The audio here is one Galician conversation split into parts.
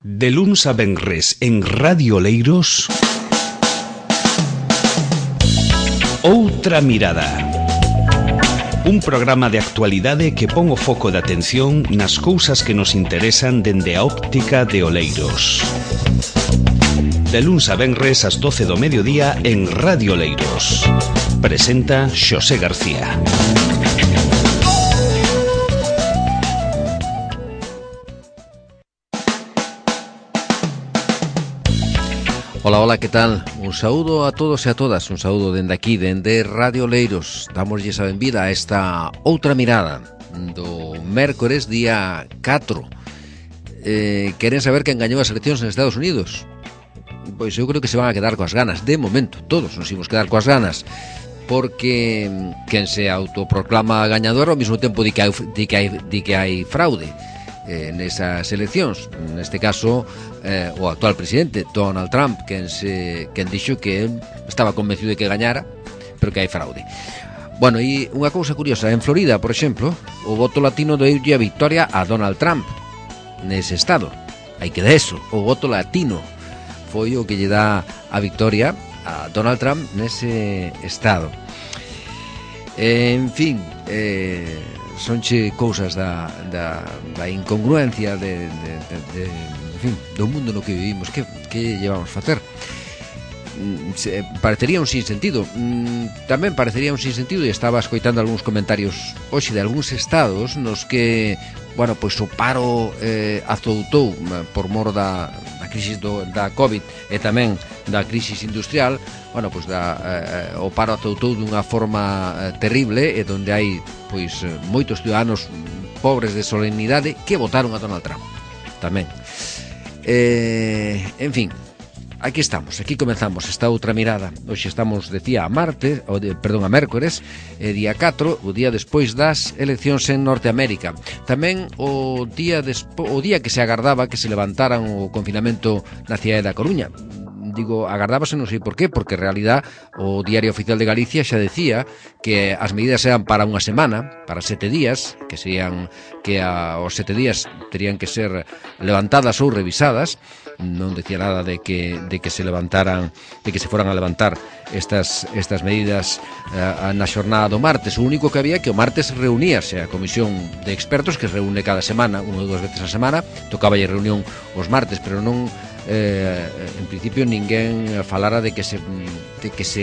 De luns a venres en Radio Oleiros, Outra Mirada. Un programa de actualidade que pon o foco de atención nas cousas que nos interesan dende a óptica de Oleiros. De luns a venres ás 12 do mediodía en Radio Oleiros. Presenta Xosé García. Ola, ola, que tal? Un saúdo a todos e a todas, un saúdo dende aquí, dende Radio Oleiros. Damoslle a benvida a esta outra mirada do mércores día 4. Queren saber quen gañou as eleccións en Estados Unidos? Pois eu creo que se van a quedar coas ganas, de momento, todos nos imos quedar coas ganas, porque quen se autoproclama gañador ao mesmo tempo di que hai fraude nesas eleccións. Neste caso, o actual presidente Donald Trump, quen dixo que estaba convencido de que gañara, pero que hai fraude. Bueno, e unha cousa curiosa, en Florida, por exemplo, o voto latino deulle a victoria a Donald Trump nese estado. Aí queda eso, o voto latino foi o que lle dá a victoria a Donald Trump nese estado. En fin, sonche cousas da incongruencia en fin, do mundo no que vivimos. Que llevamos a facer? Parecería un sinsentido. Tamén parecería un sinsentido, e estaba escoitando algúns comentarios hoxe de algúns estados nos que, bueno, pois o paro azoutou por mor da crisis da COVID e tamén da crisis industrial. Bueno, pois o paro azoutou dunha forma terrible, e donde hai pois moitos ciudadanos pobres de solemnidade que votaron a Donald Trump tamén. En fin, aquí estamos, aquí comenzamos esta outra mirada. Hoxe estamos, decía, a mércores, día 4, o día despois das eleccións en Norteamérica. Tamén o día que se agardaba que se levantaran o confinamento na cidade da Coruña. Digo, agardábase, non sei por qué, porque en realidad o Diario Oficial de Galicia xa decía que as medidas eran para unha semana, para 7 días, que serían que aos 7 días terían que ser levantadas ou revisadas. Non decía nada de que se levantaran, de que se foran a levantar estas medidas na xornada do martes. O único que había que o martes reuníase a comisión de expertos, que se reúne cada semana, unha ou dúas veces a semana, tocaballe reunión os martes, pero non en principio ninguén falara de que se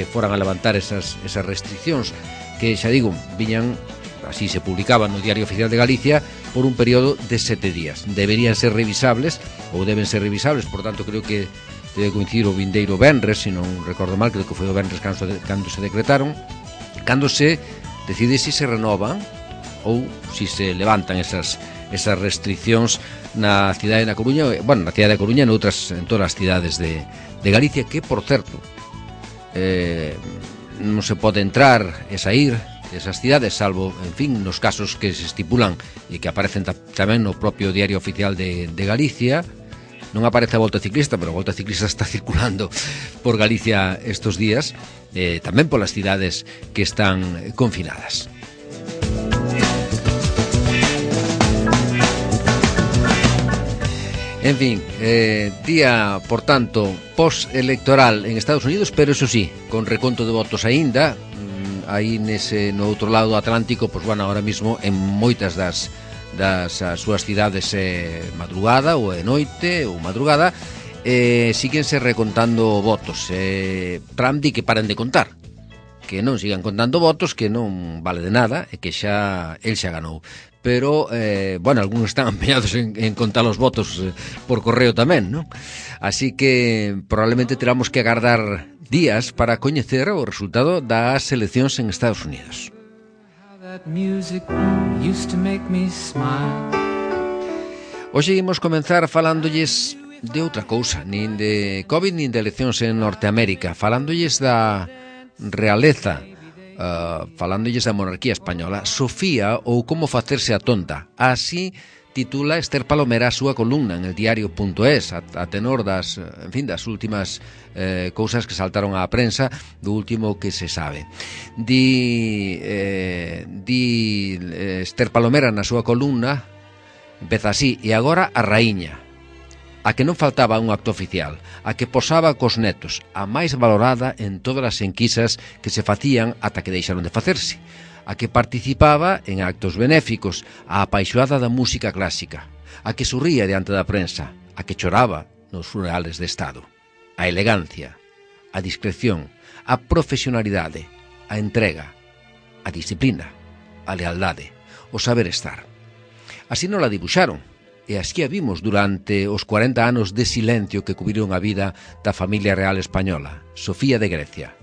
foran a levantar esas restriccións, que xa digo, viñan, así se publicaban no Diario Oficial de Galicia, por un período de 7 días. Deberían ser revisables, ou deben ser revisables, por tanto creo que debe coincidir o vindeiro venres, se non recordo mal, creo que foi o venres cando se decretaron, cando se decide se renovan ou se se levantan esas restriccións na cidade da Coruña, bueno, na cidade da Coruña e en todas as cidades de Galicia, que, por certo, non se pode entrar e sair desas cidades, salvo, en fin, nos casos que se estipulan e que aparecen tamén no propio Diario Oficial de Galicia. Non aparece a Volta Ciclista, pero a Volta Ciclista está circulando por Galicia estos días, tamén polas cidades que están confinadas. En fin, día, por tanto, post-electoral en Estados Unidos, pero eso sí, con reconto de votos aínda, aí no outro lado do Atlántico, pois, bueno, ahora mismo en moitas das súas cidades madrugada ou é noite ou madrugada, síguense recontando votos. Trump di que paren de contar, que non sigan contando votos, que non vale de nada e que el xa ganou. Pero, bueno, algúns están empeñados en contar os votos por correo tamén, non? Así que probablemente teramos que agardar días para coñecer o resultado das eleccións en Estados Unidos. Hoxe imos comenzar falándolles de outra cousa, nin de COVID nin de eleccións en Norteamérica, falándolles da realeza, falándolles da monarquía española. Sofía, ou como facerse a tonta, así titula Esther Palomera a súa columna en el diario.es, a tenor das últimas cousas que saltaron á prensa, do último que se sabe. Di Esther Palomera na súa columna, empeza así: e agora a raíña. a que non faltaba un acto oficial, a que posaba cos netos, a máis valorada en todas as enquisas que se facían ata que deixaron de facerse, a que participaba en actos benéficos, a apaixoada da música clásica, a que sorría diante da prensa, a que choraba nos funerales de Estado, a elegancia, a discreción, a profesionalidade, a entrega, a disciplina, a lealdade, o saber estar. Así non la dibuixaron, e así a vimos durante os 40 anos de silencio que cubriron a vida da familia real española. Sofía de Grecia,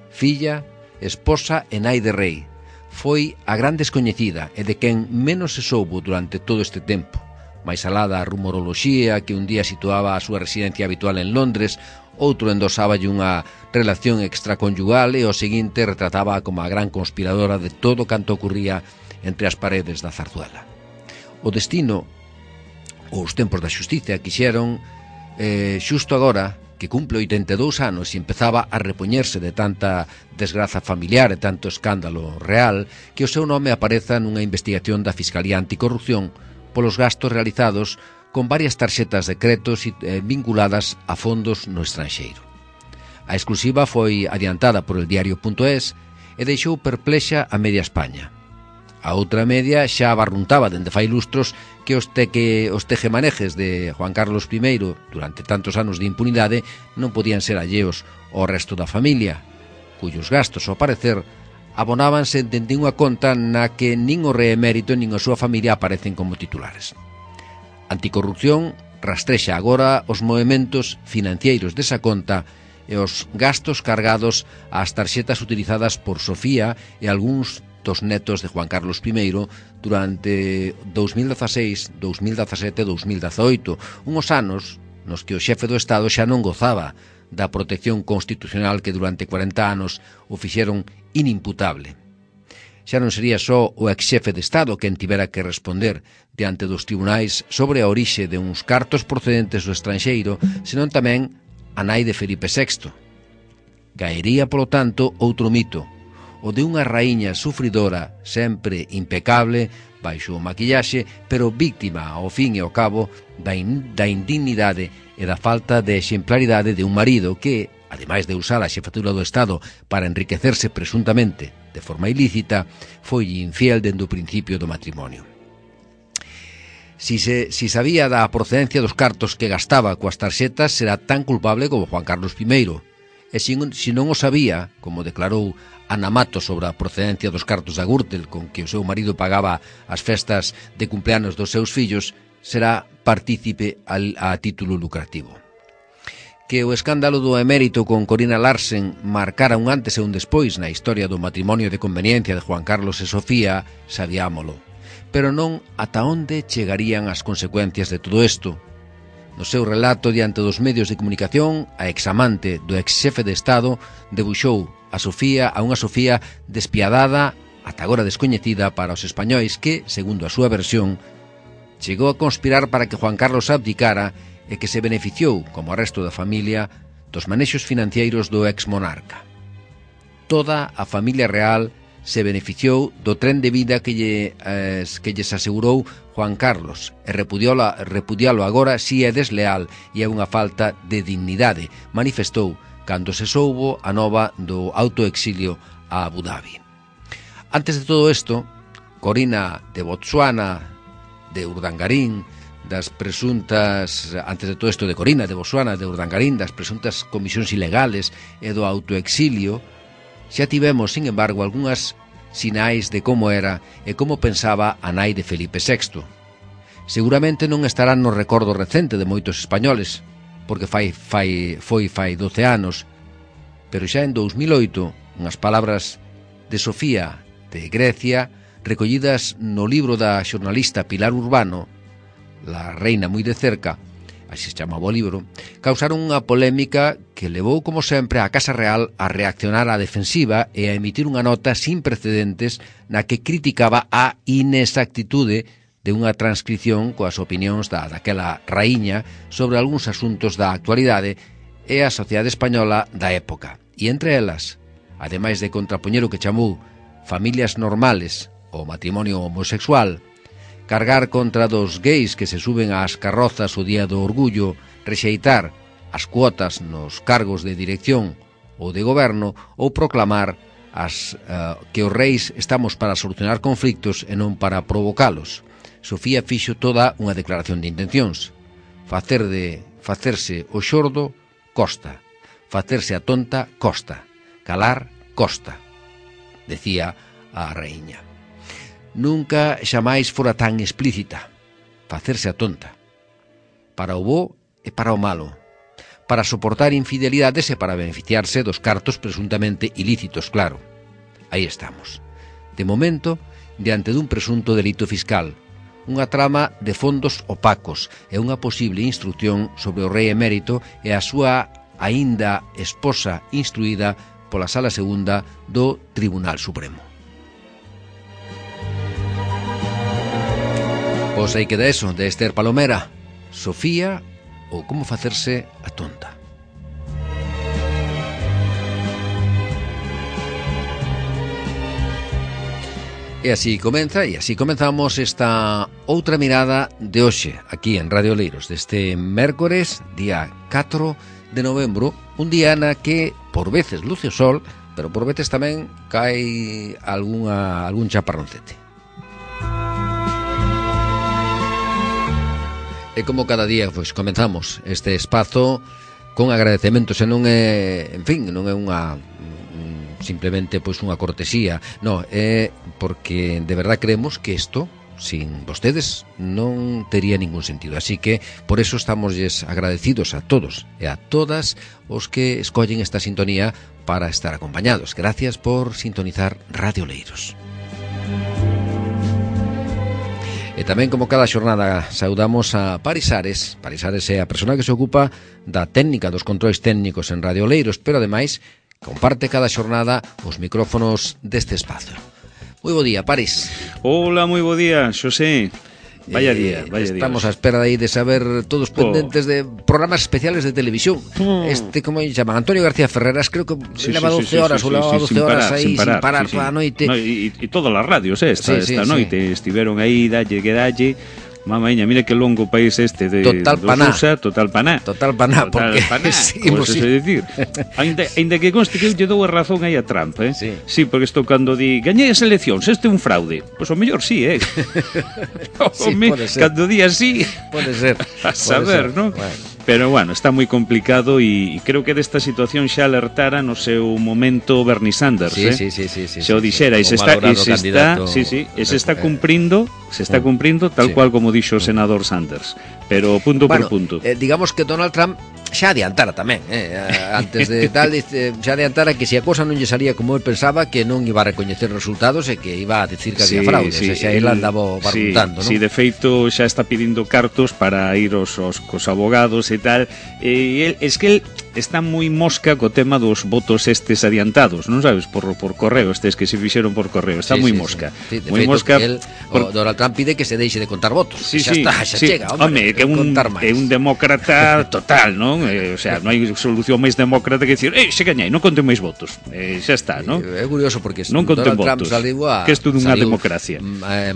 filla, esposa e nai de rei, foi a gran descoñecida e de quen menos se soubo durante todo este tempo. Mais alá da rumoroloxía que un día situaba a súa residencia habitual en Londres, outro endosáballe unha relación extraconyugal e o seguinte retrataba como a gran conspiradora de todo canto ocurría entre as paredes da Zarzuela. O destino, os tempos da xustiza, quixeron, xusto agora, que cumple 82 anos e empezaba a repoñerse de tanta desgraza familiar e tanto escándalo real, que o seu nome apareza nunha investigación da Fiscalía Anticorrupción polos gastos realizados con varias tarxetas de créditos vinculadas a fondos no estranxeiro. A exclusiva foi adiantada por el diario.es e deixou perplexa a media España. A outra media xa abarruntaba dende fai lustros que os tejemanejes de Juan Carlos I durante tantos anos de impunidade non podían ser alleos ao resto da familia, cuyos gastos, ao parecer, abonábanse dende unha conta na que nin o rei emérito nin a súa familia aparecen como titulares. Anticorrupción rastrexa agora os movementos financeiros desa conta e os gastos cargados ás tarxetas utilizadas por Sofía e algúns dos netos de Juan Carlos I durante 2016, 2017 e 2018, unhos anos nos que o xefe do Estado xa non gozaba da protección constitucional que durante 40 anos o fixeron inimputable. Xa non sería só o ex-xefe de Estado quen tivera que responder diante dos tribunais sobre a orixe de uns cartos procedentes do estranxeiro, senón tamén a nai de Felipe VI. Caería, polo tanto, outro mito, o de unha raíña sufridora, sempre impecable, baixo o maquillaxe, pero víctima, ao fin e ao cabo, da indignidade e da falta de exemplaridade de un marido que, ademais de usar a xefatura do Estado para enriquecerse presuntamente de forma ilícita, foi infiel dende o principio do matrimonio. Si sabía da procedencia dos cartos que gastaba coas tarxetas, será tan culpable como Juan Carlos I. E se non o sabía, como declarou Ana Matos sobre a procedencia dos cartos da Gürtel con que o seu marido pagaba as festas de cumpleanos dos seus fillos, será partícipe a título lucrativo. Que o escándalo do emérito con Corina Larsen marcara un antes e un despois na historia do matrimonio de conveniencia de Juan Carlos e Sofía, sabiámolo. Pero non ata onde chegarían as consecuencias de todo isto. No seu relato diante dos medios de comunicación, a examante do ex-xefe de Estado debuxou a unha Sofía despiadada, ata agora descoñecida para os españois que, segundo a súa versión, chegou a conspirar para que Juan Carlos abdicara e que se beneficiou, como o resto da familia, dos manexos financeiros do ex-monarca. Toda a familia real se beneficiou do tren de vida que lles asegurou Juan Carlos e repudialo agora si é desleal e é unha falta de dignidade, manifestou cando se soubo a nova do autoexilio a Abu Dhabi. Antes de todo isto, Corina de Botsuana, de Urdangarín, das presuntas comisións ilegales e do autoexilio, xa tivemos, sin embargo, algunhas sinais de como era e como pensaba a nai de Felipe VI. Seguramente non estarán no recordo recente de moitos españoles, porque foi fai 12 anos, pero xa en 2008, unhas palabras de Sofía de Grecia, recollidas no libro da xornalista Pilar Urbano, La reina moi de cerca, así se chamaba o libro, causaron unha polémica que levou, como sempre, a Casa Real a reaccionar á defensiva e a emitir unha nota sin precedentes na que criticaba a inexactitude de unha transcripción coas opinións daquela raíña sobre algúns asuntos da actualidade e a sociedade española da época. E entre elas, ademais de contrapoñer o que chamou familias normales ou matrimonio homosexual, cargar contra dos gays que se suben ás carrozas o día do orgullo rexeitar as cuotas nos cargos de dirección ou de goberno ou proclamar que os reis estamos para solucionar conflictos e non para provocalos. Sofía fixo toda unha declaración de intencións. Facerse o xordo costa, facerse a tonta costa, calar costa, decía a raíña. Nunca xamais fora tan explícita. Facerse a tonta. Para o bo e para o malo. Para soportar infidelidades e para beneficiarse dos cartos presuntamente ilícitos, claro. Aí estamos. De momento, diante dun presunto delito fiscal, unha trama de fondos opacos e unha posible instrucción sobre o rei emérito e a súa aínda esposa instruída pola Sala Segunda do Tribunal Supremo. Pois aí queda eso, de Esther Palomera, Sofía ou como facerse a tonta. E así comeza, e así comenzamos esta outra mirada de hoxe, aquí en Radio Oleiros, deste mércores, día 4 de novembro, un día na que por veces luce o sol, pero por veces tamén cae algún chaparroncete. E como cada día, pois, comenzamos este espazo con agradecementos, e non é, en fin, non é unha simplemente pois unha cortesía, non, é porque de verdad creemos que isto sin vostedes non tería ningún sentido, así que por eso estamos agradecidos a todos e a todas os que escollen esta sintonía para estar acompañados. Gracias por sintonizar Radio Oleiros. E tamén, como cada xornada, saudamos a Paris Ares. Paris Ares é a persona que se ocupa da técnica dos controis técnicos en Radio Oleiros, pero ademais comparte cada xornada os micrófonos deste espazo. Moi bo día, Paris. Hola, moi bo día, Xosé. Vaya día, vaya día. Estamos a espera de saber todos pendentes de programas especiales de televisión. Como llaman, Antonio García Ferreras, creo que leva 12 horas ou leva 12 horas aí sin parar toda a noite. E todas as radios esta noite estiveron aí, dalle que dalle. Mamaña, mira que longo país este de total paná. USA, total paná, porque seguimos pues decir. Ainda que conste que eu lle dou a razón aí a Trump, Sí, porque isto cando di gañei as eleccións, este é un fraude. Pois o mellor sí, pode ser. Cando di así, pode ser. A saber, non? Bueno. Pero bueno, está moi complicado e creo que desta situación xa alertara no seu momento Bernie Sanders, Sí. Se o dixera e se está cumprindo, tal cual como dixo o senador Sanders, pero punto por punto. Digamos que Donald Trump xa adiantara tamén, antes de tal, xa adiantara que se a cosa non lle salía como el pensaba, que non iba a recoñecer resultados e que iba a decir que había fraude, xa ele andaba barruntando, non? Si, de feito xa está pedindo cartos para ir cos abogados e tal, e es que el está moi mosca co tema dos votos estes adiantados, non sabes, por correo, estes que se fixeron por correo, está moi mosca. Moi mosca. Donald Trump pide que se deixe de contar votos. Xa chega, home, que é un demócrata total, non? O sea, non hai solución máis demócrata que dicir, se gañei, non conten máis votos. Xa está, non? É curioso porque non conten Donald votos. Trump que isto dunha democracia.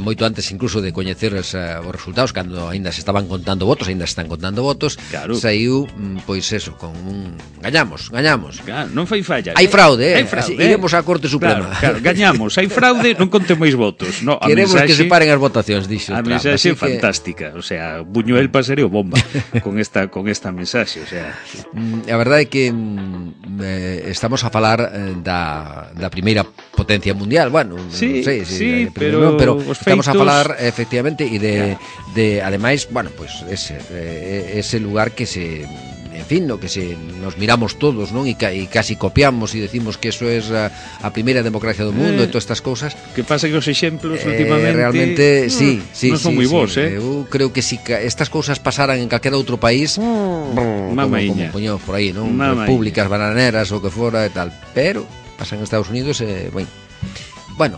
Moito antes incluso de coñecer os resultados, cando aínda se estaban contando votos, aínda se están contando votos, claro. Saiu, pois eso, con un gañamos. Claro, non fai falla. Hai fraude, iremos á Corte Suprema. Claro, gañamos, hai fraude, non conten máis votos. No, queremos que se paren as votacións, dixo a Trump. A mensaxe fantástica, o sea, Buñuel pasaría o bomba con esta mensaxe, o sea. A verdade é que estamos a falar da primeira potencia mundial, bueno, pero estamos a falar efectivamente e de ademais, bueno, pues ese lugar que se, en fin, no que nos miramos todos, non? E casi copiamos e decimos que eso es a primeira democracia do mundo e todas estas cousas. Que pasa que os exemplos últimamente realmente non son moi bons, Eu creo que si estas cousas pasaran en calquera outro país, como poñemos por aí, non? Repúblicas bananeras ou que fora e tal, pero pasan en Estados Unidos bueno,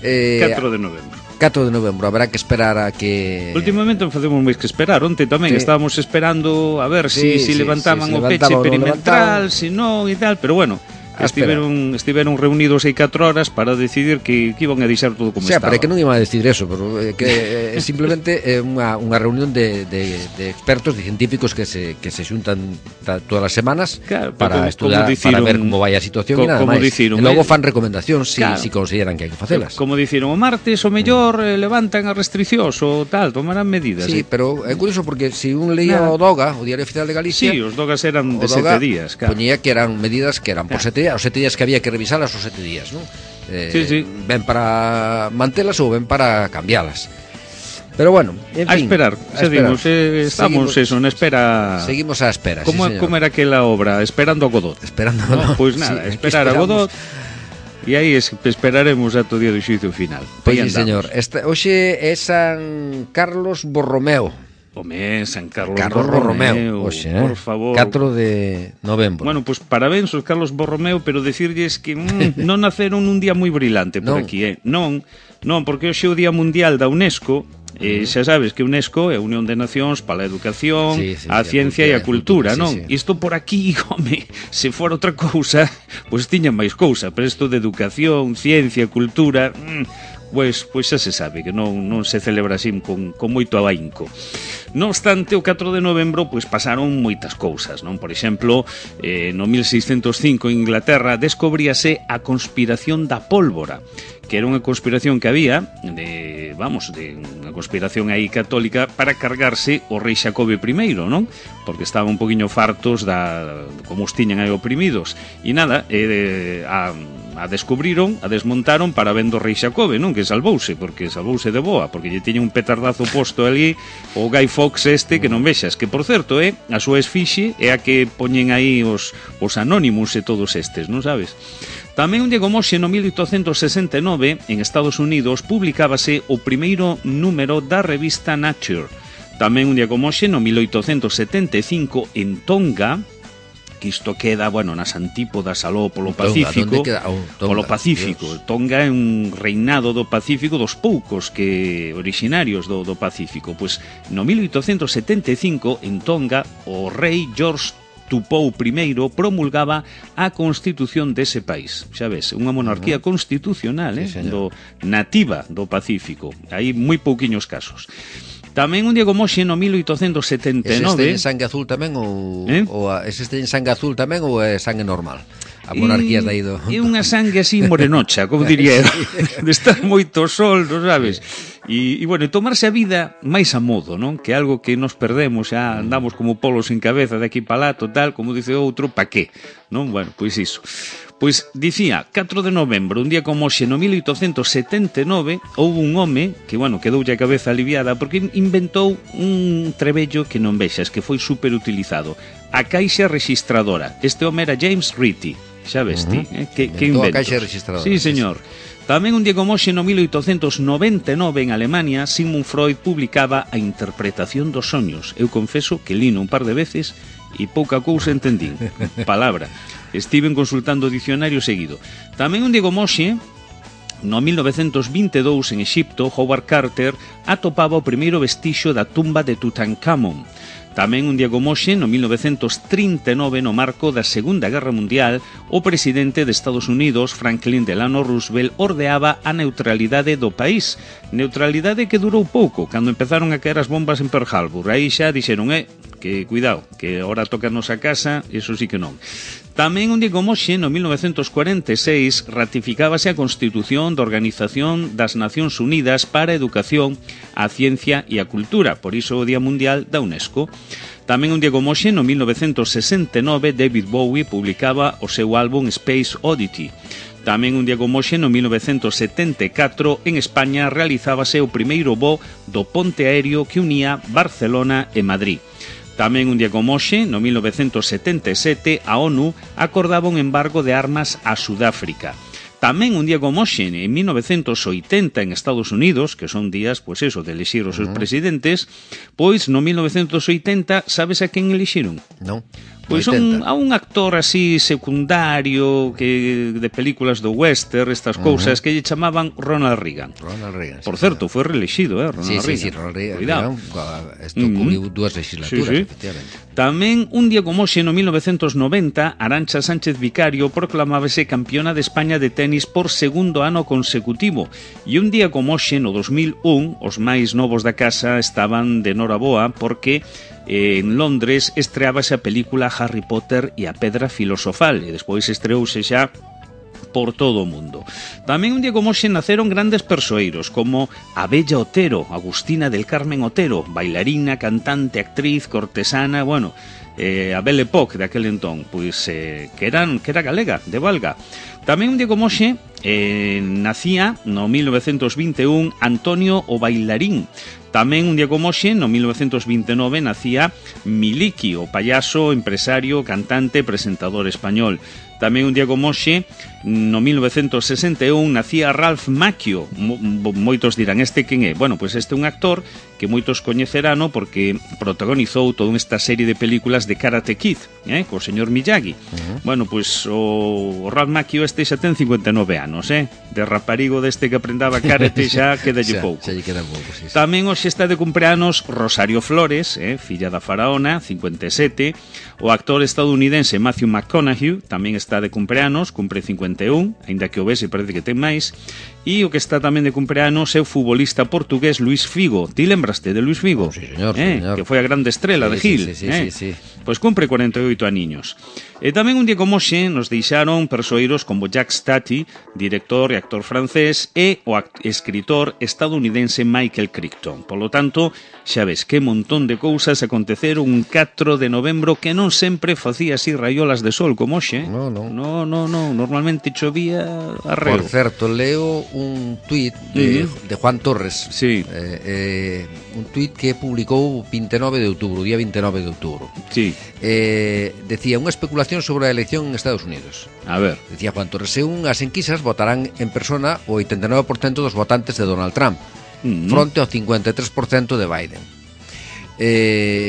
4 de novembro. 4 de novembro, habrá que esperar a que... Últimamente non facemos máis que esperar. Onte tamén estábamos esperando a ver si levantaban o peche perimetral, se non e tal, pero bueno, estiveron reunidos aí 4 horas para decidir que iban a deixar todo como estaba. Pero que non iban a decidir eso, pero que simplemente é unha reunión de expertos, de científicos que se xuntan todas as semanas, claro, para estudiar, para ver como vai a situación e nada máis. E logo fan recomendacións si consideran que hai que facelas. Como diciron, o martes o mellor levantan as restriccións ou tal, tomarán medidas. Sí, pero é curioso porque se un leía o DOGA, o Diario Oficial de Galicia, sí, os DOGAs eran de 7 días, claro. Poñía que eran medidas que eran por 7 días, os 7 días que había que revisalas os 7 días, non? Sí. Ben para mantelas ou ben para cambialas. Pero bueno, en fin, a esperar. Estamos en espera. Seguimos a espera. Como era aquela obra? Esperando a Godot. Esperando a Godot. Pois nada, esperar a Godot. E aí esperaremos ata o día do xuízo final. Pois sí, señor. Hoxe é San Carlos Borromeo. Home, San Carlos Borromeo, oxe, por favor. 4 de novembro. Bueno, pues parabéns aos Carlos Borromeo, pero decirlles que non naceron un día moi brilante por aquí, Non, porque hoxe é o Día Mundial da UNESCO. Xa sabes que UNESCO é a Unión de Nacións para a Educación, a Ciencia e a Cultura, non? Isto por aquí, home, se fora outra cousa, pois tiña máis cousa, pero isto de Educación, Ciencia, Cultura... Pois xa se sabe que non se celebra así con moito abaínco. Non obstante, o 4 de novembro pois pasaron moitas cousas, non? Por exemplo, no 1605 en Inglaterra descobríase a conspiración da pólvora, que era unha conspiración que había de unha conspiración aí católica para cargarse o rei Xacobe I, non? Porque estaban un poquinho fartos como os tiñan aí oprimidos. E nada, a descubriron, a desmontaron para vendo o rei Xacobe, non? Que salvouse de boa, porque lle tiña un petardazo posto ali o Guy Fawkes que non vexas, que por certo a súa esfixe é a que poñen aí os Anonymous e todos estes, non sabes? Tamén un día como hoxe, no 1869, en Estados Unidos, publicábase o primeiro número da revista Nature. Tamén un día como hoxe, no 1875, en Tonga, que isto queda, nas antípodas aló polo Pacífico. Polo Pacífico. Tonga é un reinado do Pacífico dos poucos que orixinarios do Pacífico. Pois no 1875, en Tonga, o rei George Tupou I promulgaba a constitución dese país. Xa ves, unha monarquía constitucional, nativa do Pacífico. Hai moi pouquiños casos. Tamén un día como hoxe, no 1879... ¿Es este en sangue azul tamén ou es este en sangue azul tamén ou é sangue normal? A monarquía da ido. É unha sangue así morenocha, como diría eu, de estar moito sol, non sabes? E tomarse a vida máis a modo, non? Que é algo que nos perdemos, xa andamos como polos en cabeza de aquí para lá, total, como dice outro, pa qué? Non? Bueno, pois iso. Pois dicía, 4 de novembro, un día como hoxe, no 1879, houve un home que, quedoulle a cabeza aliviada porque inventou un trebello que non vexas, que foi superutilizado. A caixa registradora. Este home era James Ritchie. Xa ves ti, que inventos. A caixa registradora. Sí, señor. Tamén un día como hoxe, no 1899, en Alemania, Sigmund Freud publicaba A interpretación dos soños. Eu confeso que lino un par de veces e pouca cousa entendín. Palabra. Estiven consultando o dicionario seguido. Tamén un día como hoxe, no 1922, en Exipto, Howard Carter atopaba o primeiro vestixo da tumba de Tutankamón. Tamén un día como hoxe, no 1939, no marco da Segunda Guerra Mundial, o presidente de Estados Unidos, Franklin Delano Roosevelt, ordeaba a neutralidade do país. Neutralidade que durou pouco, cando empezaron a caer as bombas en Pearl Harbor. Aí xa dixeron, que cuidado, que ahora tocanos a casa, eso sí que non. Tamén un día como hoxe, no 1946, ratificábase a Constitución da Organización das Nacións Unidas para a Educación, a Ciencia e a Cultura, por iso o Día Mundial da UNESCO. Tamén un día como hoxe, no 1969, David Bowie publicaba o seu álbum Space Oddity. Tamén un día como hoxe, no 1974, en España realizábase o primeiro voo do ponte aéreo que unía Barcelona e Madrid. Tamén un día como hoxe, no 1977, a ONU acordaba un embargo de armas a Sudáfrica. Tamén un día como hoxe, en 1980, en Estados Unidos, que son días, pois eso, de elixir os seus presidentes, pois no 1980, sabes a quen elixiron? Non. Pois a un actor así secundario que de películas do western, estas cousas, que lle chamaban Ronald Reagan. Por certo, foi reelexido, Ronald Reagan. Sí, Ronald Reagan. Isto cubriu dúas legislaturas, efectivamente. Tamén, un día como hoxe, no 1990, Arantxa Sánchez Vicario proclamábase campeona de España de tenis por segundo ano consecutivo. E un día como hoxe, no 2001, os máis novos da casa estaban de noraboa porque en Londres estreábase a película Harry Potter e a Pedra Filosofal, e despois estreouse xa por todo o mundo. Tamén un día como hoxe naceron grandes persoeiros como a Bella Otero, Agustina del Carmen Otero, bailarina, cantante, actriz, cortesana, bueno, a Belle Époque daquel entón, pois que era galega, de Valga. Tamén un día como hoxe nacía no 1921 Antonio o Bailarín. Tamén un día como hoxe, no 1929, nacía Miliki, o payaso, empresario, cantante, presentador español. Tamén un día como hoxe, no 1961, nacía Ralph Macchio. Moitos dirán, este quen é? Bueno, pois este é un actor que moitos coñecerano porque protagonizou toda esta serie de películas de Karate Kid, co señor Miyagi. Bueno, pois o Ralph Macchio este xa ten 59 anos, de raparigo deste que aprendaba karate xa quedalle pouco. Xa lle queda pouco, sí. Tamén hoxe está de cumpleanos Rosario Flores, filla da faraona, 57. O actor estadounidense Matthew McConaughey tamén está de cumpleanos, cumpre 51, aínda que o vese parece que ten máis. E o que está tamén de cumpleanos é o futbolista portugués Luís Figo. Ti lembraste de Luís Figo? Sí, señor, señor. Que foi a grande estrela de Gil. Sí. Pois cumpre 48 aniños. E tamén un día como hoxe nos deixaron persoeiros como Jacques Tati, director e actor francés, e o escritor estadounidense Michael Crichton. Polo tanto, xa ves que montón de cousas aconteceron un 4 de novembro que non sempre facía así raiolas de sol como hoxe. No. Normalmente chovía arreo. Por certo, leo un tuit de Juan Torres. Sí. Un tuit que publicou 29 de outubro, día 29 de outubro. Sí. Decía unha especulación sobre a elección en Estados Unidos. A ver. Decía Juan Torres, según as enquisas votarán en persona o 89% dos votantes de Donald Trump, fronte ao 53% de Biden.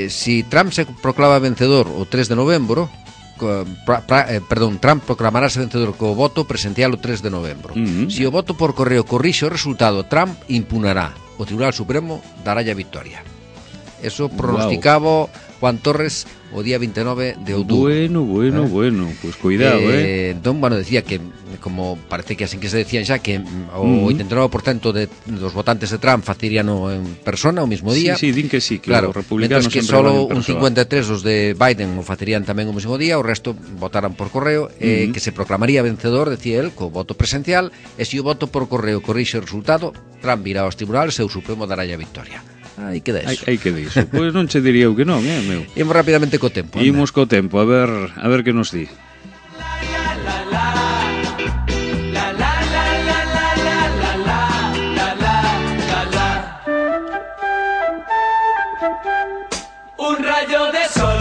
Si Trump se proclama vencedor o 3 de novembro, Trump proclamarase vencedor co voto presencial o 3 de novembro. Si o voto por correo corrixe o resultado, Trump impunará. O Tribunal Supremo dará a victoria. Eso pronosticaba Juan Torres o día 29 de outubro. Bueno, pues cuidado, Entón, bueno, decía que, como parece que así que se decían xa, que o 89% dos votantes de Trump faceríano en persona o mismo día. Sí, din que sí, que claro, os republicanos que solo un 53 os de Biden o facerían tamén o mesmo día, o resto votaran por correo, que se proclamaría vencedor, decía él, co voto presencial, e se o voto por correo corrixe o resultado, Trump irá aos tribunales e o Supremo dará a victoria. Aí queda iso. Aí queda iso. Pois non che diría eu que non, meu. Imos rapidamente co tempo. Imos co tempo, a ver que nos di. Un rayo de sol.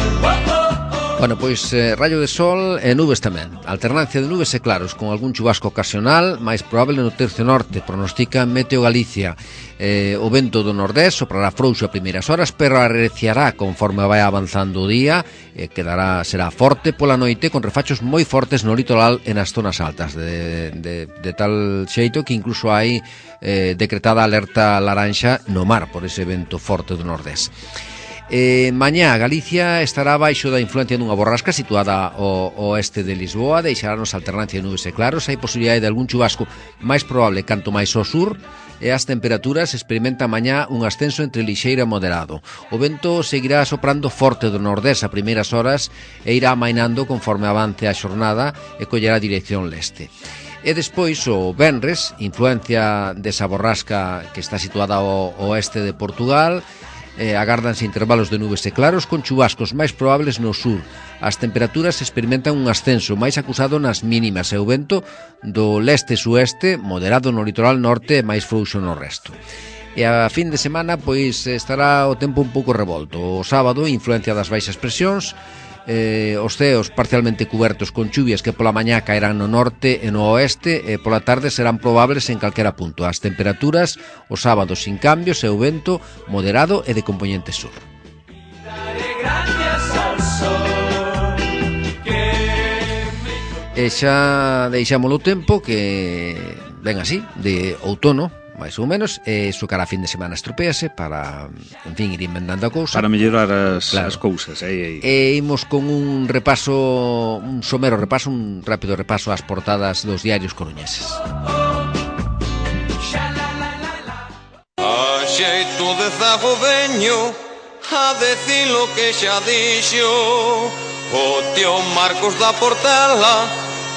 Bueno, pois rayo de sol e nubes tamén. Alternancia de nubes e claros, con algún chubasco ocasional, máis probable no tercio norte, pronostica Meteo Galicia. O vento do nordés soprará frouxo a primeiras horas, pero arreciará conforme vai avanzando o día, será forte pola noite, con refachos moi fortes no litoral e nas zonas altas, de tal xeito que incluso hai decretada alerta laranxa no mar por ese vento forte do nordés. Mañá Galicia estará baixo da influencia dunha borrasca situada ao oeste de Lisboa. Deixarnos alternancia de nubes e claros. Hai posibilidade de algún chubasco máis probable canto máis ao sur, e as temperaturas experimentan mañá un ascenso entre lixeiro e moderado. O vento seguirá soprando forte do nordés a primeiras horas e irá amainando conforme avance a xornada e collerá dirección leste. E despois o venres, influencia desa borrasca que está situada ao oeste de Portugal. Agárdanse intervalos de nubes e claros con chubascos máis probables no sur. As temperaturas experimentan un ascenso máis acusado nas mínimas e o vento do leste-sueste, moderado no litoral norte e máis frouxo no resto. E a fin de semana pois estará o tempo un pouco revolto. O sábado, influencia das baixas presións, os ceos parcialmente cubertos con chuvias que pola mañá caerán no norte e no oeste, e pola tarde serán probables en calquera punto. As temperaturas o sábado sin cambios e o vento moderado e de compoñente sur. Daré gracias al sol. E xa deixámolo o tempo que ven así, de outono, máis ou menos, e iso cara a fin de semana estropease para, en fin, ir inventando a cousa. Para mellorar as cousas. E imos con un repaso, un somero repaso, un rápido repaso ás portadas dos diarios coruñeses. A xeito de zago veño a decir lo que xa dixo o tío Marcos da Portela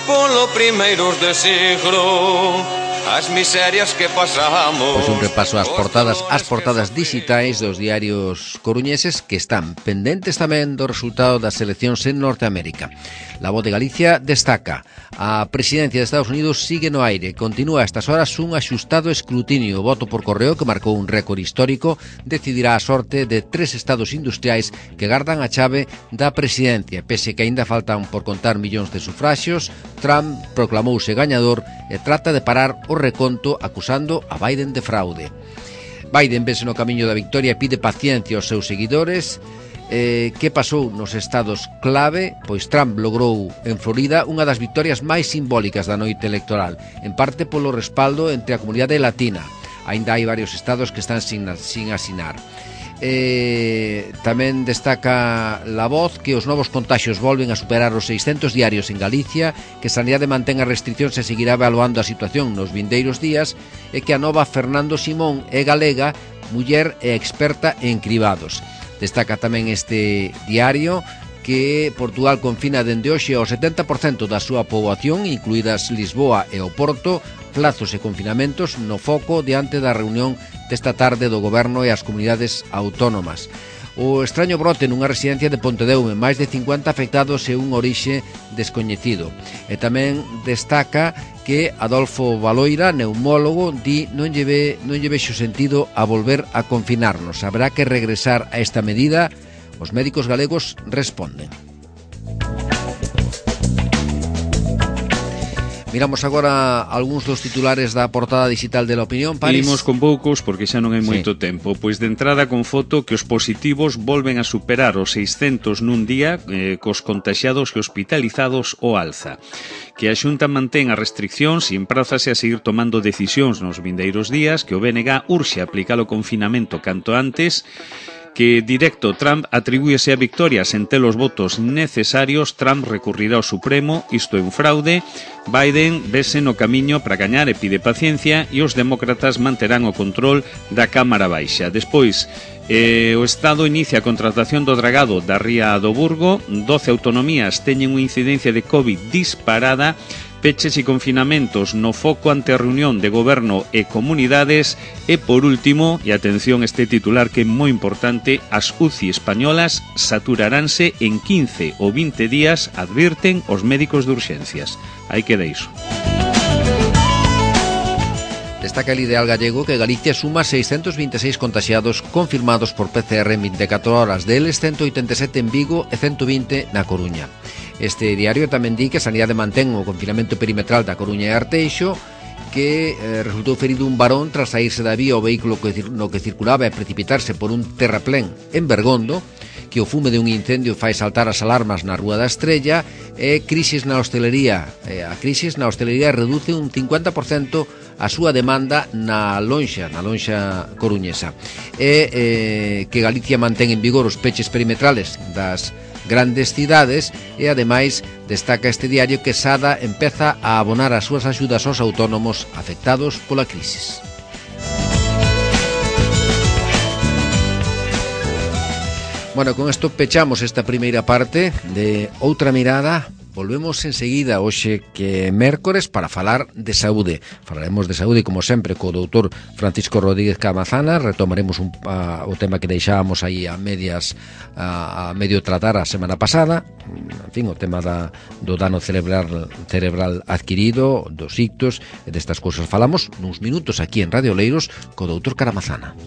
polo primeiros de siglo. As miserias que pasamos. Pois un repaso ás portadas digitais dos diarios coruñeses que están pendentes tamén do resultado das eleccións en Norteamérica. La Voz de Galicia destaca: a presidencia de Estados Unidos sigue no aire. Continúa a estas horas un axustado escrutinio. O voto por correo, que marcou un récord histórico, decidirá a sorte de 3 estados industriais que gardan a chave da presidencia. Pese que aínda faltan por contar millóns de sufraxios, Trump proclamouse gañador e trata de parar o reconto acusando a Biden de fraude. Biden vese no camiño da victoria e pide paciencia aos seus seguidores. Que pasou nos estados clave? Pois Trump logrou en Florida unha das victorias máis simbólicas da noite electoral, en parte polo respaldo entre a comunidade latina. Aínda hai varios estados que están sin asinar. Tamén destaca La Voz que os novos contaxios volven a superar os 600 diarios en Galicia, que Sanidade mantén as restriccións e seguirá evaluando a situación nos vindeiros días, e que a nova Fernando Simón é galega, muller e experta en cribados. Destaca tamén este diario que Portugal confina dende hoxe ao 70% da súa poboación, incluídas Lisboa e o Porto, plazos e confinamentos no foco diante da reunión desta tarde do Goberno e as comunidades autónomas. O extraño brote nunha residencia de Pontedeume, máis de 50 afectados e un orixe descoñecido. E tamén destaca que Adolfo Baloira, neumólogo, di non lle vexo sentido a volver a confinarnos. Habrá que regresar a esta medida. Os médicos galegos responden. Miramos agora algúns dos titulares da portada digital de La Opinión, París. Imos con poucos porque xa non hai moito tempo. Pois de entrada con foto que os positivos volven a superar os 600 nun día, cos contaxiados e hospitalizados o alza. Que a Xunta mantén as restriccións e emprázase a seguir tomando decisións nos vindeiros días, que o BNG urxe aplicar o confinamento canto antes, que directo Trump atribúese a victoria sen ter os votos necesarios. Trump recurrirá ao Supremo, isto é un fraude. Biden vese no camiño para gañar e pide paciencia, e os demócratas manterán o control da Cámara Baixa. Despois, o Estado inicia a contratación do dragado da Ría do Burgo. 12 autonomías teñen unha incidencia de COVID disparada. Peches e confinamentos no foco ante a reunión de goberno e comunidades. E por último, e atención este titular que é moi importante, as UCI españolas saturaránse en 15 ou 20 días, advirten os médicos de urxencias. Aí queda iso. Destaca el Ideal Gallego que Galicia suma 626 contaxiados confirmados por PCR en 24 horas, deles 187 en Vigo e 120 na Coruña. Este diario tamén di que a Sanidade mantén o confinamento perimetral da Coruña e Arteixo, que resultou ferido un varón tras saírse da vía o vehículo no que circulaba e precipitarse por un terraplén en Bergondo, que o fume de un incendio fai saltar as alarmas na Rúa da Estrella, e crisis na hostelería. A crisis na hostelería reduce un 50% a súa demanda na lonxa coruñesa. E que Galicia mantén en vigor os peches perimetrales das grandes cidades, e ademais destaca este diario que Sada empeza a abonar as súas axudas aos autónomos afectados pola crisis. Bueno, con isto pechamos esta primeira parte de Outra Mirada. Volvemos enseguida, hoxe que é mércores, para falar de saúde. Falaremos de saúde, como sempre, co doutor Francisco Rodríguez Camazana. Retomaremos o tema que deixábamos aí a medio tratar a semana pasada. En fin, o tema do dano cerebral adquirido, dos ictos, e destas cousas falamos nuns minutos aquí en Radio Oleiros co doutor Caramazana.